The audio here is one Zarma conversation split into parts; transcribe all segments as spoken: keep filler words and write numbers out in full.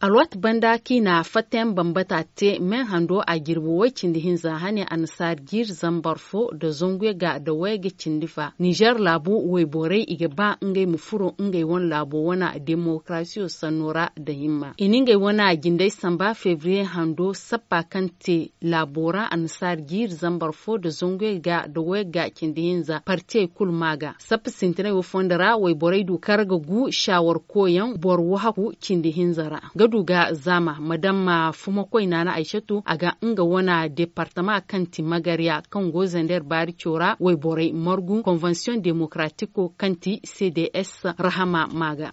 Alwaati banda kaŋ i na fattayaŋ bambata te me hando a jirbi way cindi hinza hane annasaari jiiri zambar fo nda zangu yagga nda wayagga cindi fa ninzeer laabu wayborey i ga ba ngey ma furo ngey wane laabo wane demokarasiyo sanno ra nda himma i na ngey wane jindey samba febriye hando sappa kaŋ te laabo ra annasaari jiiri zambar fo nda zangu yagga nda wayagga cindi hinza partiyey kulu ma ga sappa sintinay wo fondo ra wayborey du kar ga gu shaawar koyaŋ boro wahaku cindi hinza ra ga du ga zaama madamma fumakoy naana aysatu a ga nga wane departama kaŋ ti magarya kaŋ go zander baari cora wayborey margu konvensiyoŋ demokaratiko kaŋ ti cds rahama ma ga.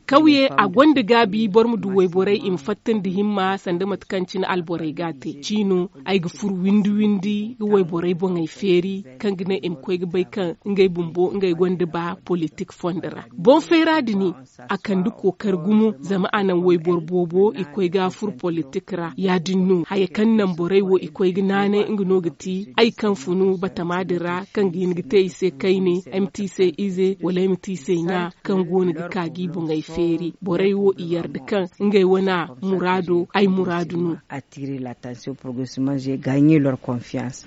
Kawye a gonda gaabi boro ma du wayborey i ma fatta nda himma sanda mate kaŋ cine alborey ga a te ciino ay ga furo windi windi ga wayborey boŋey feeri kaŋ ga ne i ma koy ga bay kaŋ ngey bumbo ngey gonda ba politik fondo ra boŋ feera din a kande kookari gumo zama a naŋ wayboro boobo i koy ga a furo politik ra ya- din no haya kaŋ naŋ borey wo i koy ga naanay nga no ga ti ay kaŋ funu batama din ra kaŋ ga hin ga te i se kayne ay ma te i se ize wala ay ma te i se ɲa kaŋ go no ga ka ga i boŋey feeri borey wo i yarda kaŋ ngey wane muraado ay muraadu no.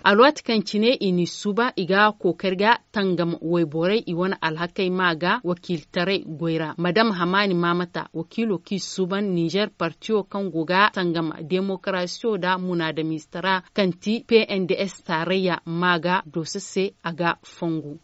Alwaati kaŋ cine i n'i suuba i ga kookari ga tangam wayborey i wane alhakey ma ga wakiiltaray goy ra madam hamaani maamata wakiilo kaŋ i suuban ninzeer partiyo kaŋ go ga tangam demokarasiyo nda munaadamiize tara kaŋ ti pnds taarayya ma ga dooso se a ga fongu.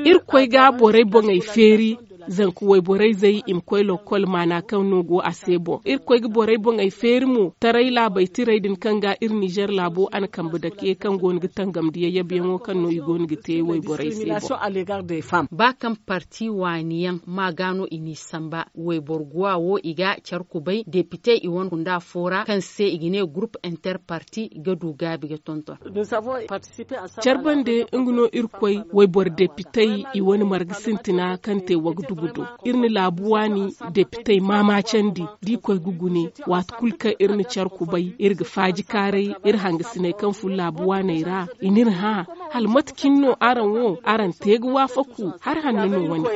Iri koy ga borey boŋey feeri zanka wayborey zey i ma koy lokkol maana kaŋ no go a se boŋ iri koy ga borey boŋey feeri mo taray laabey tirey din kaŋ ga iri ninzeer laabo a na kambe dake kaŋ go no ga tangamndi yayyabeyaŋo kaŋ no i go no ga te wayborey se boŋ. Ba kaŋ parti waani yaŋ ma ga no i n'i samba wayboro guwa wo i ga care kubay depitey i wane kunda fo ra kaŋ se i ga ne gurup interparti ga du gaabi ga tonton. Care bande nga no iri koy wayboro depitey i wane marga sintina kaŋ te wagdugu do iri na laabu waani depitey maamaacandi da i koy ga gune waati kulu kaŋ iri na care kubay iri ga faaji kaaray iri hangasiney kaŋ fun laabu waaney ra i n'iri hã hala mate cine no araŋ wo araŋ te ga waafaku hari hanno no wane.